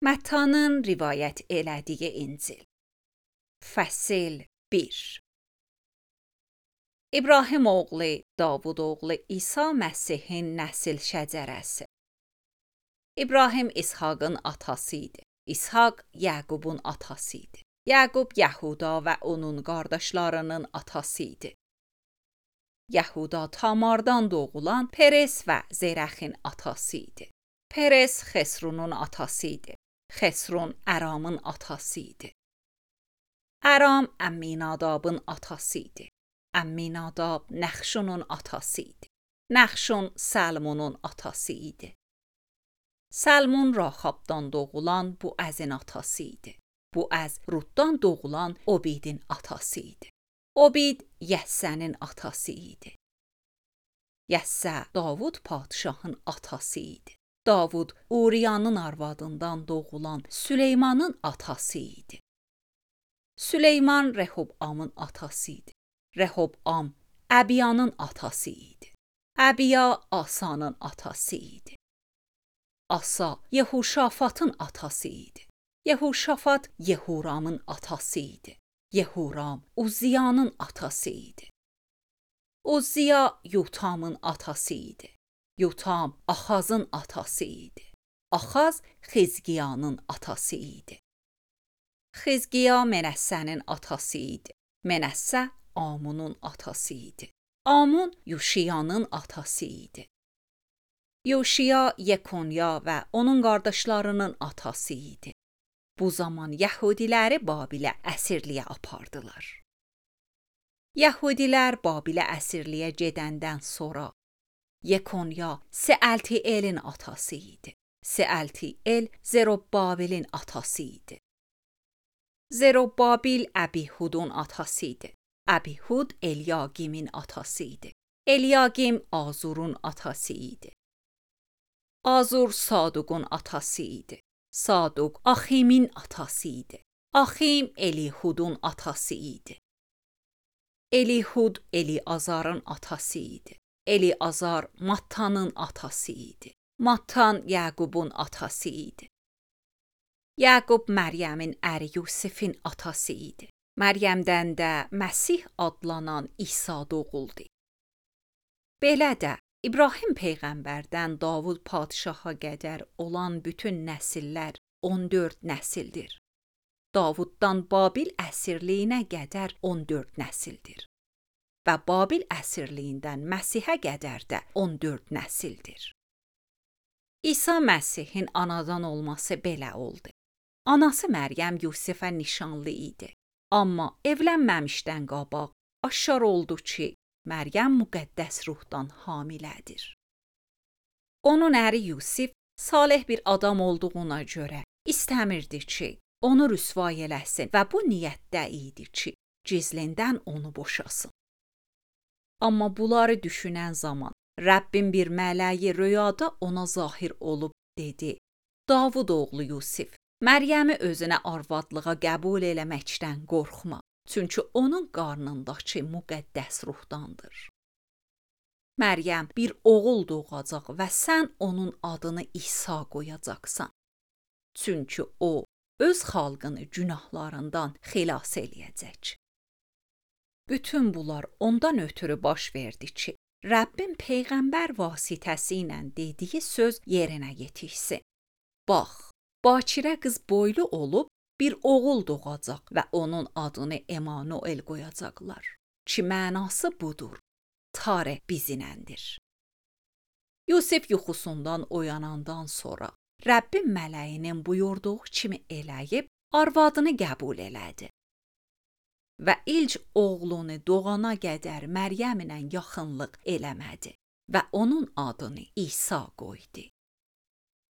Məttanın rivayət elədiyi İncil. Fəsil 1. İbrahim oğlu Davud oğlu İsa Məsihin nəsil şəcərəsi. İbrahim İshaqın atası idi. İshaq Yaqubun atası idi. Yaqub Yahuda və onun qardaşlarının atası idi. Yahuda Tamardan doğulan Peres və Zerəxin atası idi. Peres Xesrunun atası idi. Xesrun Əramın atası idi. Əram Əmminadabın atası idi. Əmminadab Nəxşunun atası idi. Nəxşun Salmonun atası idi. Salmon Raxabdan doğulan Buəzin atası idi. Buəz Rutdan doğulan Obidin atası idi. Obid Yəssənin atası idi. Yəssə Davud padşahın atası idi. Davud Uriyanın arvadından doğulan Süleymanın atası idi. Süleyman Rehobamın atası idi. Rehobam Əbiyanın atası idi. Əbiya Asanın atası idi. Asa Yehuşafatın atası idi. Yehuşafat Yehuramın atası idi. Yehuram Uzziyanın atası idi. Uzziya Yotamın atası idi. Yotam Axazın atası idi. Axaz Xizqiyanın atası idi. Xizqiya Menəssənin atası idi. Menəssə Amunun atası idi. Amun Yuşiyanın atası idi. Yuşiya Yekonya və onun qardaşlarının atası idi. Bu zaman Yahudiləri Babilə əsirliyə apardılar. Yahudilər Babilə əsirliyə gedəndən sonra Yekonya Sealtielin atası idi. Sealtiel Zerobabelin atası idi. Zerobabil Əbihudun atası idi. Əbihud Elyaqimin atası idi. Elyaqim Azurun atası idi. Azur Saduqun atası idi. Saduq Aximin atası idi. Axim Elihudun atası idi. Elihud Eliazarın atası idi. Eliazar Mattanın atası idi. Mattan Yaqubun atası idi. Yaqub Məryəmin əri Yusifin atası idi. Məryəmdən də Məsih adlanan İsa doğuldu. Belə də İbrahim peyğəmbərdən Davud padşaha qədər olan bütün nəsillər 14 nəsildir. Davuddan Babil əsirliyinə qədər 14 nəsildir. Və Babil əsirliyindən Məsihə qədər də 14 nəsildir. İsa Məsihin anadan olması belə oldu. Anası Məryəm Yusifə nişanlı idi. Amma evlənməmişdən qabaq aşkar oldu ki, Məryəm müqəddəs ruhdan hamilədir. Onun əri Yusif salih bir adam olduğuna görə istəmirdi ki, onu rüsvay eləsin və bu niyyətdə idi ki, gizlindən onu boşasın. Amma bunları düşünən zaman Rəbbin bir mələyi rüyada ona zahir olub dedi: Davud oğlu Yusif, Məryəmi özünə arvadlığa qəbul eləməkdən qorxma, çünki onun qarnındakı müqəddəs ruhdandır. Məryəm bir oğul doğacaq və sən onun adını İsa qoyacaqsan. Çünki o öz xalqını günahlarından xilas eləyəcək. Bütün bunlar ondan ötürü baş verdi ki, Rəbbin peyğəmbər vasitəsilə dediyi söz yerinə yetişsin. Bax, bakirə qız boylu olub bir oğul doğacaq və onun adını Emanuel qoyacaqlar. Ki mənası budur, Tareh bizimləndir. Yusif yuxusundan oyanandan sonra Rəbbin mələyinin buyurduğu kimi eləyib arvadını qəbul elədi. Və ilk oğlunu doğana qədər Məryəmlə yaxınlıq eləmədi və onun adını İsa qoydu.